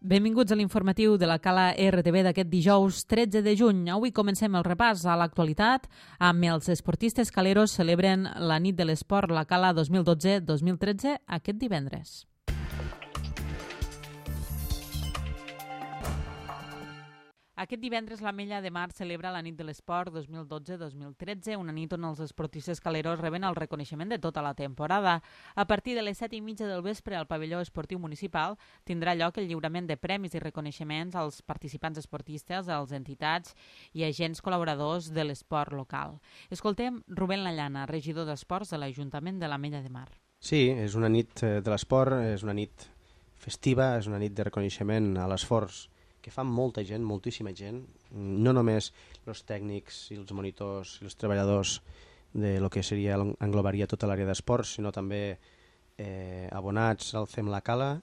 Benvinguts a l'informatiu de la Cala RTV d'aquest dijous 13 de juny. Avui comencem el repàs a l'actualitat amb els esportistes caleros celebren la nit de l'esport la Cala 2012-2013 aquest divendres. Aquest divendres l'Ametlla de Mar celebra la nit de l'esport 2012-2013, una nit on els esportistes caleros reben el reconeixement de tota la temporada. A partir de les 7:30 del vespre al pavelló esportiu municipal tindrà lloc el lliurament de premis i reconeixements als participants esportistes, als entitats i agents col·laboradors de l'esport local. Escoltem Rubén Lallana, regidor d'Esports de l'Ajuntament de l'Ametlla de Mar. Sí, és una nit de l'esport, és una nit festiva, és una nit de reconeixement a l'esforç que fa molta gent, moltíssima gent, no només els tècnics i els monitors i els treballadors de lo que seria, englobaria tota l'àrea d'esports, sinó també abonats al FEM La Cala,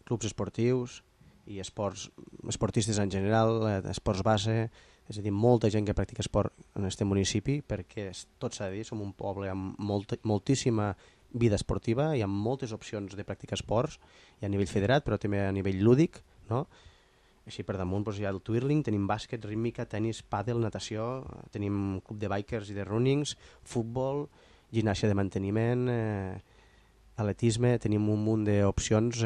clubs esportius i esportistes en general, esports base, és a dir, molta gent que practica esport en aquest municipi, perquè tot s'ha de dir, som un poble amb moltíssima vida esportiva i amb moltes opcions de practicar esports, i a nivell federat, però també a nivell lúdic, no? Així per damunt hi ha el twirling, tenim bàsquet, rítmica, tenis, pàdel, natació, tenim club de bikers i de runnings, futbol, gimnàsia de manteniment, atletisme, tenim un munt d'opcions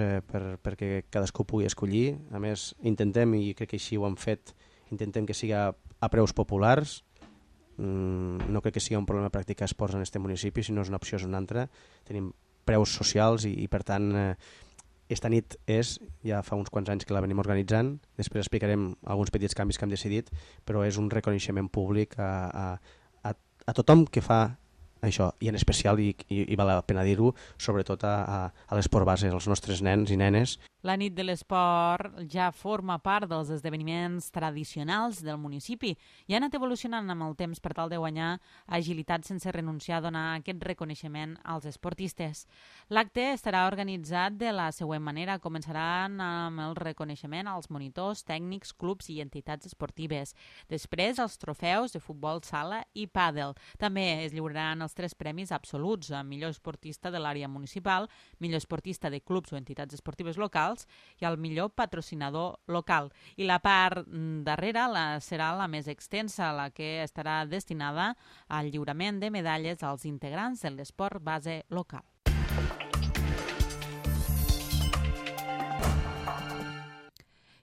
perquè cadascú pugui escollir. A més, intentem, i crec que així ho hem fet, intentem que siga a preus populars. No crec que sigui un problema practicar esports en aquest municipi, si no és una opció és una altra. Tenim preus socials i per tant... Esta nit ja fa uns quants anys que la venim organitzant, després explicarem alguns petits canvis que hem decidit, però és un reconeixement públic a tothom que fa això, i en especial, i val la pena dir-ho, sobretot a l'esport base, als nostres nens i nenes. La nit de l'esport ja forma part dels esdeveniments tradicionals del municipi i ha anat evolucionant amb el temps per tal de guanyar agilitat sense renunciar a donar aquest reconeixement als esportistes. L'acte estarà organitzat de la següent manera. Començaran amb el reconeixement als monitors, tècnics, clubs i entitats esportives. Després, els trofeus de futbol sala i pàdel. També es lliuraran els 3 premis absoluts a millor esportista de l'àrea municipal, millor esportista de clubs o entitats esportives locals i el millor patrocinador local. I la part darrere serà la més extensa, la que estarà destinada al lliurament de medalles als integrants de l'esport base local.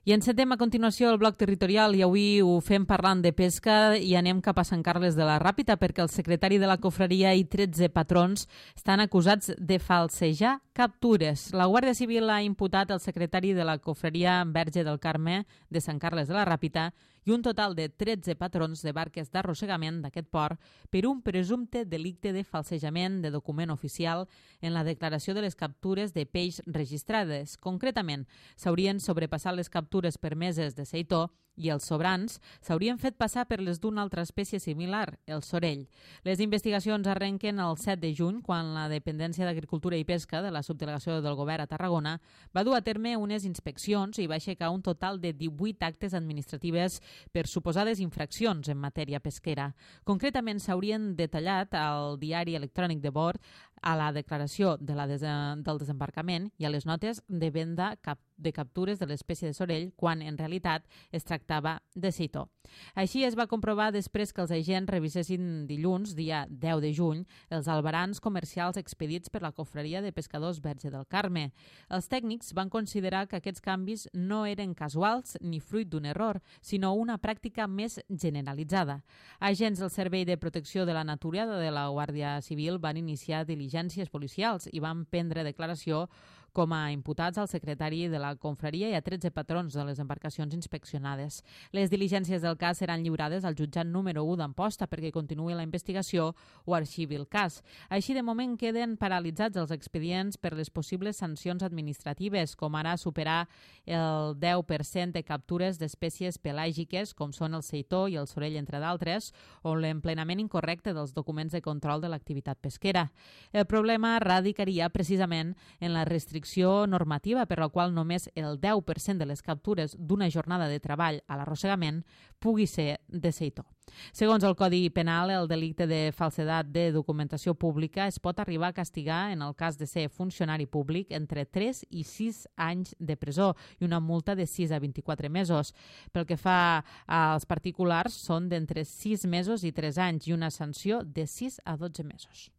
I encetem a continuació el bloc territorial i avui ho fem parlant de pesca i anem cap a Sant Carles de la Ràpita perquè el secretari de la confraria i 13 patrons estan acusats de falsejar captures. La Guàrdia Civil ha imputat el secretari de la confraria Verge del Carme de Sant Carles de la Ràpita i un total de 13 patrons de barques d'arrossegament d'aquest port per un presumpte delicte de falsejament de document oficial en la declaració de les captures de peix registrades. Concretament, s'haurien sobrepassat les captures permeses de seitó i els sobrants s'haurien fet passar per les d'una altra espècie similar, el sorell. Les investigacions arrenquen el 7 de juny, quan la Dependència d'Agricultura i Pesca de la Subdelegació del Govern a Tarragona va dur a terme unes inspeccions i va aixecar un total de 18 actes administratives per suposades infraccions en matèria pesquera. Concretament, s'haurien detallat al diari electrònic de bord, a la declaració del desembarcament i a les notes de venda de captures de l'espècie de sorell quan en realitat es tractava de seitó. Així es va comprovar després que els agents revisessin dilluns, dia 10 de juny, els albarans comercials expedits per la confraria de pescadors Verge del Carme. Els tècnics van considerar que aquests canvis no eren casuals ni fruit d'un error, sinó una pràctica més generalitzada. Agents del Servei de Protecció de la Natura de la Guàrdia Civil van iniciar diligències policials i van prendre declaració com a imputats al secretari de la confraria i a 13 patrons de les embarcacions inspeccionades. Les diligències del cas seran lliurades al jutjat número 1 d'Amposta perquè continuï la investigació o arxivi el cas. Així, de moment, queden paralitzats els expedients per les possibles sancions administratives, com ara superar el 10% de captures d'espècies pelàgiques, com són el seitó i el sorell, entre d'altres, o l'emplenament incorrecte dels documents de control de l'activitat pesquera. El problema radicaria precisament en la restricció restricció normativa per la qual només el 10% de les captures d'una jornada de treball a l'arrossegament pugui ser de seitó. Segons el Codi Penal, el delicte de falsedat de documentació pública es pot arribar a castigar, en el cas de ser funcionari públic, entre 3 i 6 anys de presó i una multa de 6 a 24 mesos. Pel que fa als particulars, són d'entre 6 mesos i 3 anys i una sanció de 6 a 12 mesos.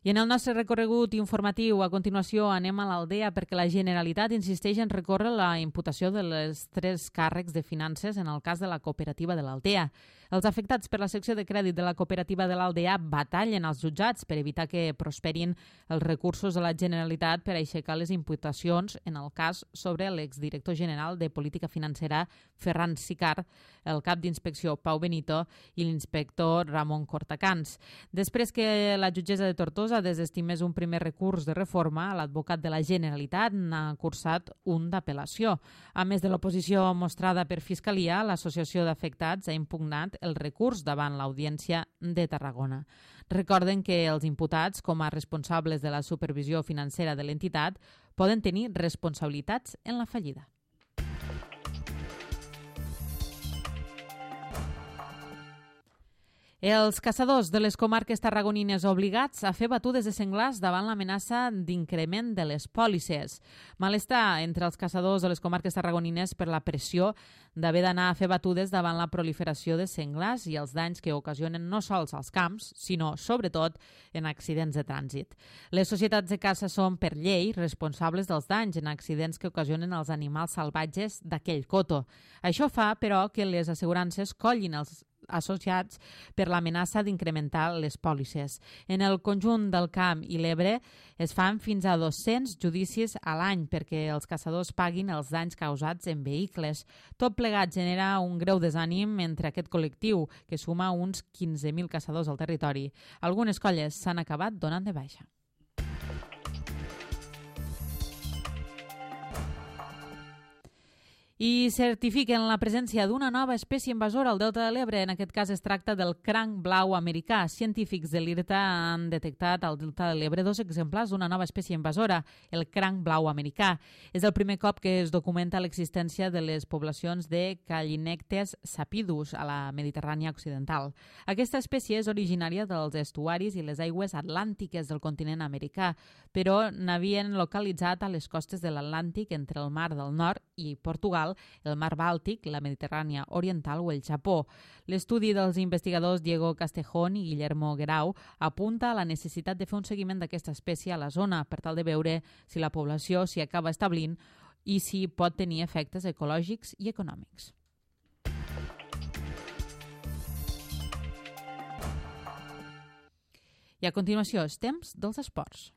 I en el nostre recorregut informatiu, a continuació, anem a l'Aldea perquè la Generalitat insisteix en recórrer la imputació de les 3 càrrecs de finances en el cas de la cooperativa de l'Aldea. Els afectats per la secció de crèdit de la cooperativa de l'Aldea batallen als jutjats per evitar que prosperin els recursos de la Generalitat per aixecar les imputacions en el cas sobre l'exdirector general de Política Financera Ferran Sicart, el cap d'inspecció Pau Benito i l'inspector Ramon Cortacans. Després que la jutgessa de Tortosa desestimés un primer recurs de reforma, l'advocat de la Generalitat n'ha cursat un d'apel·lació. A més de l'oposició mostrada per Fiscalia, l'Associació d'Afectats ha impugnat el recurs davant l'Audiència de Tarragona. Recorden que els imputats, com a responsables de la supervisió financera de l'entitat, poden tenir responsabilitats en la fallida. Els caçadors de les comarques tarragonines obligats a fer batudes de senglars davant l'amenaça d'increment de les pòlisses. Malestar entre els caçadors de les comarques tarragonines per la pressió d'haver d'anar a fer batudes davant la proliferació de senglars i els danys que ocasionen no sols als camps, sinó, sobretot, en accidents de trànsit. Les societats de caça són, per llei, responsables dels danys en accidents que ocasionen els animals salvatges d'aquell coto. Això fa, però, que les assegurances collin els associats per l'amenaça d'incrementar les pòlisses. En el conjunt del Camp i l'Ebre es fan fins a 200 judicis a l'any perquè els caçadors paguin els danys causats en vehicles. Tot plegat genera un greu desànim entre aquest col·lectiu, que suma uns 15.000 caçadors al territori. Algunes colles s'han acabat donant de baixa. I certifiquen la presència d'una nova espècie invasora al Delta de l'Ebre. En aquest cas es tracta del cranc blau americà. Científics de l'IRTA han detectat al Delta de l'Ebre 2 exemplars d'una nova espècie invasora, el cranc blau americà. És el primer cop que es documenta l'existència de les poblacions de Callinectes sapidus a la Mediterrània occidental. Aquesta espècie és originària dels estuaris i les aigües atlàntiques del continent americà, però n'havien localitzat a les costes de l'Atlàntic entre el Mar del Nord i Portugal, el Mar Bàltic, la Mediterrània Oriental o el Japó. L'estudi dels investigadors Diego Castejón i Guillermo Guerau apunta a la necessitat de fer un seguiment d'aquesta espècie a la zona per tal de veure si la població s'hi acaba establint i si pot tenir efectes ecològics i econòmics. I a continuació, els temps dels esports.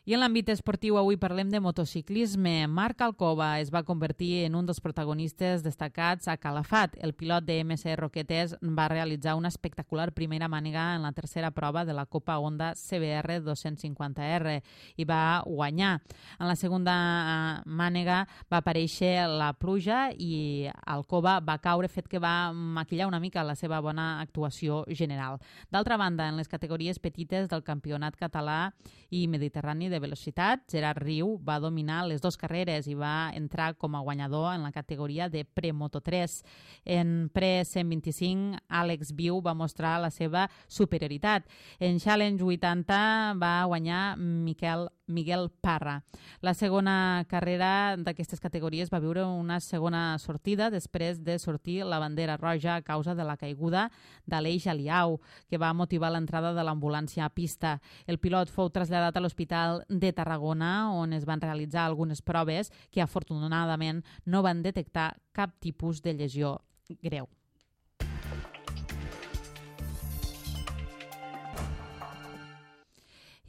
I en l'àmbit esportiu avui parlem de motociclisme. Marc Alcoba es va convertir en un dels protagonistes destacats a Calafat. El pilot de MC Roquetes va realitzar una espectacular primera mànega en la tercera prova de la Copa Honda CBR 250R i va guanyar. En la segunda mànega va aparèixer la pluja i Alcoba va caure, fet que va maquillar una mica la seva bona actuació general. D'altra banda, en les categories petites del campionat català i mediterrani de velocitat, Gerard Riu va dominar les 2 carreres i va entrar com a guanyador en la categoria de pre-Moto3. En pre-125, Àlex Viu va mostrar la seva superioritat. En Challenge 80 va guanyar Miguel Parra. La segona carrera d'aquestes categories va viure una segona sortida després de sortir la bandera roja a causa de la caiguda d'Aleix Aliau, que va motivar l'entrada de l'ambulància a pista. El pilot fou traslladat a l'Hospital de Tarragona, on es van realitzar algunes proves que afortunadament no van detectar cap tipus de lesió greu.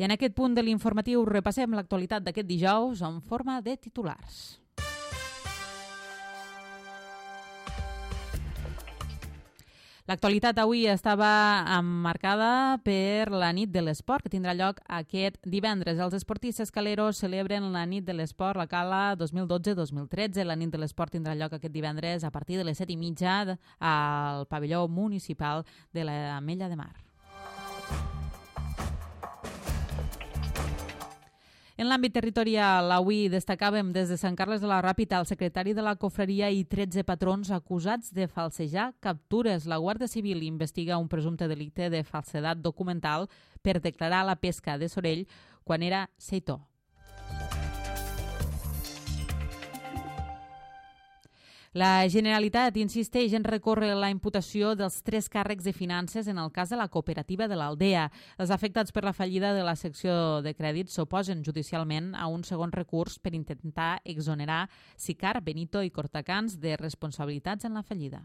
I en aquest punt de l'informatiu repassem l'actualitat d'aquest dijous en forma de titulars. L'actualitat avui estava emmarcada per la nit de l'esport, que tindrà lloc aquest divendres. Els esportistes caleros celebren la nit de l'esport, la Cala 2012-2013. La nit de l'esport tindrà lloc aquest divendres a partir de les 7:30 al pavelló municipal de l'Ametlla de Mar. En l'àmbit territorial, avui destacàvem des de Sant Carles de la Ràpita el secretari de la Cofreria i 13 patrons acusats de falsejar captures. La Guàrdia Civil investiga un presumpte delicte de falsedat documental per declarar la pesca de sorell quan era seitó. La Generalitat insisteix en recórrer la imputació dels 3 càrrecs de finances en el cas de la cooperativa de l'Aldea. Els afectats per la fallida de la secció de crèdit s'oposen judicialment a un segon recurs per intentar exonerar Sicar, Benito i Cortacans de responsabilitats en la fallida.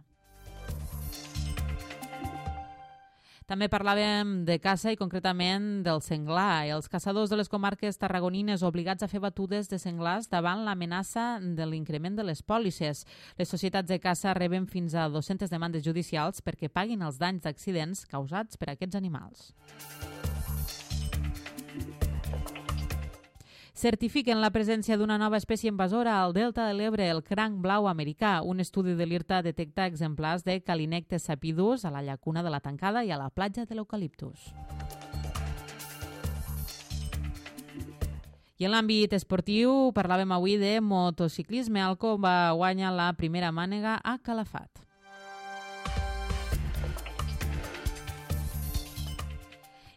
També parlàvem de caça i concretament del senglar. Els caçadors de les comarques tarragonines obligats a fer batudes de senglars davant l'amenaça de l'increment de les pòlisses. Les societats de caça reben fins a 200 demandes judicials perquè paguin els danys d'accidents causats per aquests animals. Certifiquen la presència d'una nova espècie invasora al delta de l'Ebre, el cranc blau americà. Un estudi de l'IRTA detecta exemplars de Calinectes sapidus a la llacuna de la Tancada i a la platja de l'Eucaliptus. I en l'àmbit esportiu parlàvem avui de motociclisme. Alco va guanyar la primera mànega a Calafat.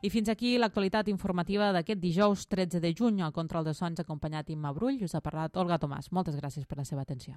I fins aquí l'actualitat informativa d'aquest dijous 13 de juny. Al control de sons acompanyat Imma Brull. Us ha parlat Olga Tomàs. Moltes gràcies per la seva atenció.